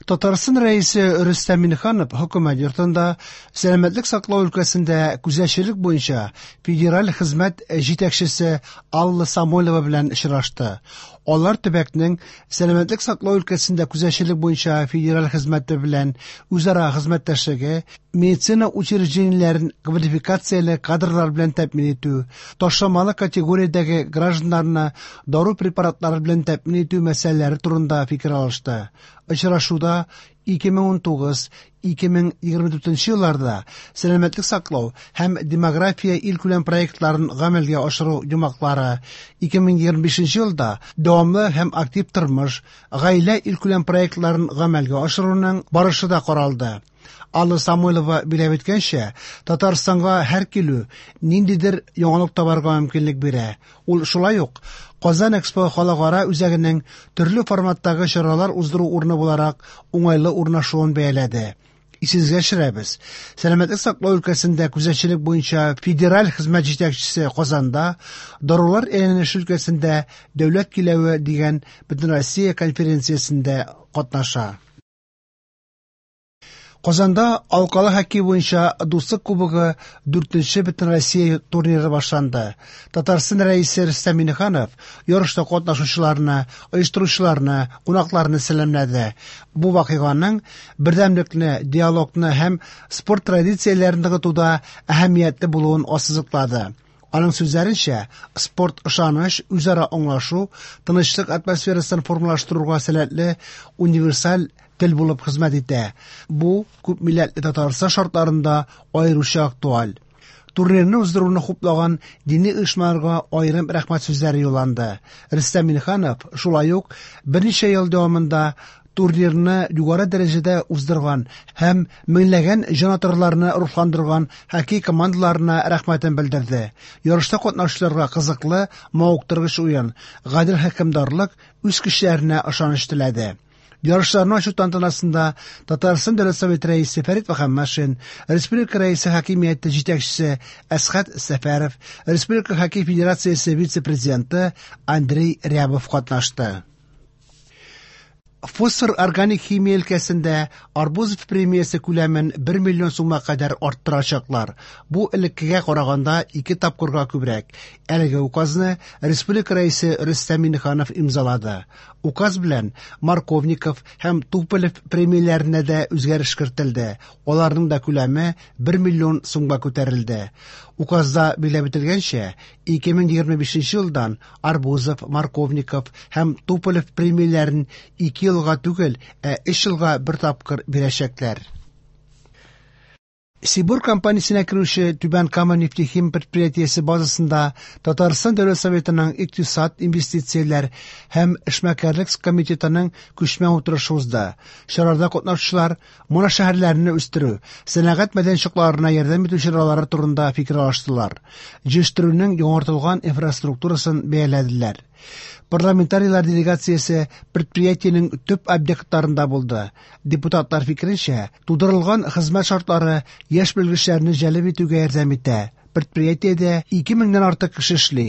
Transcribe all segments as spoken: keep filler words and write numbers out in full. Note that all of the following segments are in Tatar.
Татарстан Рәисе Рөстәм Миңнеханов Хөкүмәт йортында сәламәтлек саклау өлкәсендә күзәтчелек буенча федераль хезмәт җитәкчесе Алла Самойлова белән очрашты. Алар төбәкнең сәламәтлек саклау өлкәсендә күзәтчелек буенча федераль хезмәте белән үзара хезмәттәшлеге, медицина учреждениеләрен квалификацияле кадрлар белән тәэмин итү, ташламалы категориядәге гражданнарны дару препаратлары белән тәэмин итү мәсьәләләре турында фикер алышты. Очрашуда ике мең унтугыз-ике мең егерме дүртенче елларда сәламәтлек саклау һәм демография илкүләм проектларын гамәлгә ашыру йомгаклары, ике мең егерме бишенче елда дәвамлы һәм актив тормыш, гаилә илкүләм проектларын гамәлгә ашыруның барышы да каралды. Алла Самойлова биләп әйткәнчә, Татарстанга һәр килү ниндидер яңалык табарга мөмкинлек бирә. Ул шулай ук Казан Экспо халыкара үзәгенең төрле форматтагы чаралар уздыру урыны буларак уңайлы урнашуын бәяләде. Исегезгә төшерәбез. Сәламәтлек саклау өлкәсендә күзәтчелек буенча федераль хезмәт җитәкчесе Казанда дарулар әйләнеше өлкәсендә дәүләт киләве дигән Бөтенроссия конференциясендә катнаша. Казанда алкалы хоккей буенча Дуслык кубогы дүртенче Бөтенроссия турниры башланды. Татарстан Рәисе Рөстәм Миңнеханов ярышта катнашучыларны, оештыручыларны, кунакларны сәламләде. Бу вакыйганың бердәмлекне, диалогны һәм спорт традицияләрен ныгытуда әһәмиятле булуын ассызыклады. Аның сүзләренчә, спорт ышаныч, үзара аңлашу, тынычлык атмосферасын формалаштыруга сәләтле универсаль тел булып хезмәт итә. Бу күп милләтле Татарстан шартларында аеруча актуаль. Турнирны уздыруны хуплаган дини оешмаларга аерым рәхмәт сүзләре юлланды. Рөстәм Миңнеханов шулай ук берничә ел дәвамында турнирны югары дәрәҗәдә уздырган һәм меңләгән җанатарларны рухландырган хоккей командаларына рәхмәтен белдерде. Ярышта катнашучыларга кызыклы, мавыктыргыч уен, гадел хөкемдарлык, үз көчләренә ышаныч теләде. Ярышларны ачу тантанасында Татарстан Дәүләт Советы рәисе Фәрит Мөхәммәтшин, Республика Рәисе хакимияте җитәкчесе Әсхәт Сәфәров, Республика Хоккей Федерациясе вице-президенты Андрей Рябов катнашты. Фосфор органик химия өлкәсендә Арбузов премиясе күләмен бер миллион сумга кадәр арттырачаклар. Бу элеккегә караганда ике тапкырга күбрәк. Әлеге указны Республика Рәисе Рөстәм Миңнеханов имзалады. Указ белән Марковников һәм Туполев премияләренә дә үзгәреш кертелде. Аларның да күләме бер миллион сумга күтәрелде. Указда билгеләп үтелгәнчә, ике мең егерме бишенче елдан Арбузов, Марковников һәм Туполев премияләрен ике елга түгел, ә өч елга бер тапкыр бирәчәкләр. Сибур компаниясенә керүче Түбән Кама нефтехим предприятиесе базасында Татарстан Дәүләт Советының икътисад, инвестицияләр һәм эшмәкәрлек комитетының күчмә утырышы узды. Чарада катнашучылар моношәһәрләрне үстерү, сәнәгать мәйданчыкларына ярдәм итү чаралары турында фикер алыштылар. Җитештерүнең яңартылган инфраструктурасын бәяләделәр. Парламентарийлар делегациясе предприятиенең төп объектларында булды. Депутатлар фикеренчә, тудырылган хезмәт шартлары яшь белгечләрне җәлеп итүгә ярдәм итә. Предприятиедә ике меңнән артык кеше эшли.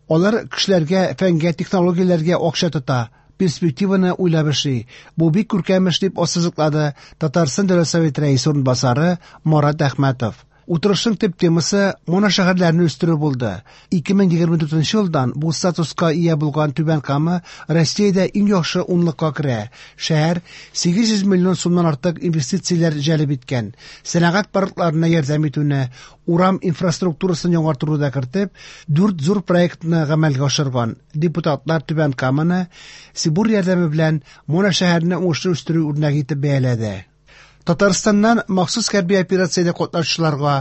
Алар кешеләргә, фәнгә, технологияләргә акча тота, перспективаны уйлап эшли. Бу бик күркәм эш, дип ассызыклады Татарстан Дәүләт Советы рәисе урынбасары Марат Әхмәтов. Утырышның төп темасы моношәһәрләрне үстерү булды. Ике мең егерме дүртенче елдан бу статуска ия булган Түбән Кама Россиядә иң яхшы унлыкка керә. Шәһәр сигез йөз миллион сумнан артык инвестицияләр җәлеп иткән. Сәнәгать паркларына ярдәм итүне, урам инфраструктурасын яңартуны да кертеп, дүрт зур проектны гамәлгә ашырган. Депутатлар Түбән Каманы Сибур ярдәме белән моношәһәрне уңышлы үстерү үрнәге итеп бәяләде. Татарстаннан махсус хәрби операциядә катнашучыларга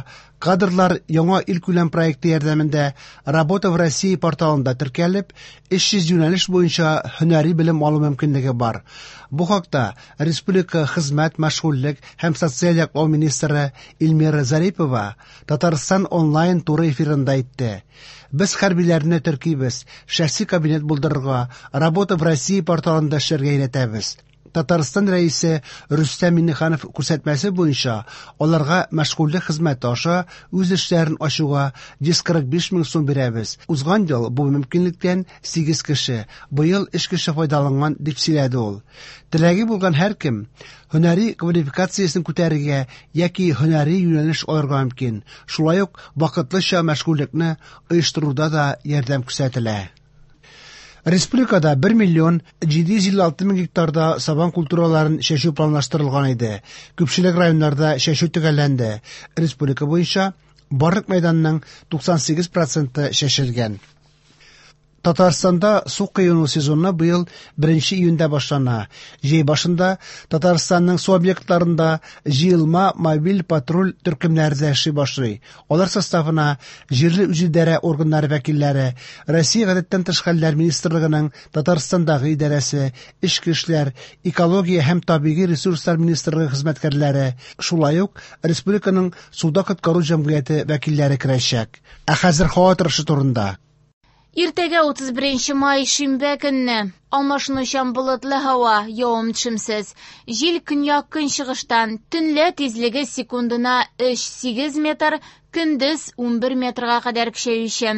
кадрлар яңа илкүләм проекты ярдәмендә Работа в России порталында теркәлеп, өч йөз юнәлеш буенча һөнәри белем алу мөмкинлеге бар. Бу хакта Республика хезмәт, мәшгульлек һәм социаль яклау министры Эльмира Зарипова Татарстан онлайн туры эфирында әйтте. Без хәрбиләрне теркибез, шәхси кабинет булдырырга, Работа в России порталында эшләргә өйрәтәбез. Татарстан Рәисе Рөстәм Миңнеханов күрсәтмәсе буенча аларга мәшгульлек хезмәте аша үз эшләрен ачуга йөз кырык биш мең сум бирәбез. Узган ел бу мөмкинлектән сигез кеше, быел өч кеше файдаланган, дип сөйләде ул. Теләге булган һәркем һөнәри квалификациясен күтәрергә яки һөнәри юнәлеш алырга мөмкин. Шулай ук вакытлыча мәшгульлекне оештыруда да ярдәм күрсәтелә. Республикада бер миллион җиде йөз илле алты мең гектарда сабан культураларын чәчү планлаштырылган иде. Күпчелек районнарда чәчү төгәлләнде. Республика буенча барлык мәйданның туксан сигез проценты чәчелгән. Татарстанда су коену сезоны быел беренче июньдә башлана. Җәй башында Татарстанның су объектларында җыелма мобиль патруль төркемнәре дә эшли башлый. Алар составына җирле үзидарә органнары вәкилләре, Россия Гадәттән тыш хәлләр министрлыгының Татарстандагы идарәсе, Эчке эшләр, Экология һәм табигый ресурслар министрлыгы хезмәткәрләре, шулай ук республиканың суда коткару җәмгыяте вәкилләре керәчәк. Ә хәзер һава торышы турында. Иртәгә утыз беренче май шимбә көнне алмашынучан болытлы һава, явым-төшемсез. Җил көньяк-көнчыгыштан, төнлә тизлеге секундына өч сигез метр, көндез унбер метрга кадәр көчәюче.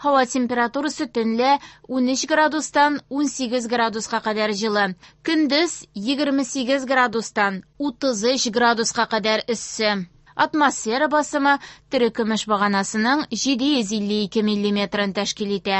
Һава температурасы төнлә унөч градустан унсигез градуска кадәр җылы, көндез егерме сигез градустан утыз өч градуска кадәр эссе. Атмосфера басымы терекөмеш баганасының җиде йөз илле ике миллиметрын тәшкил итә.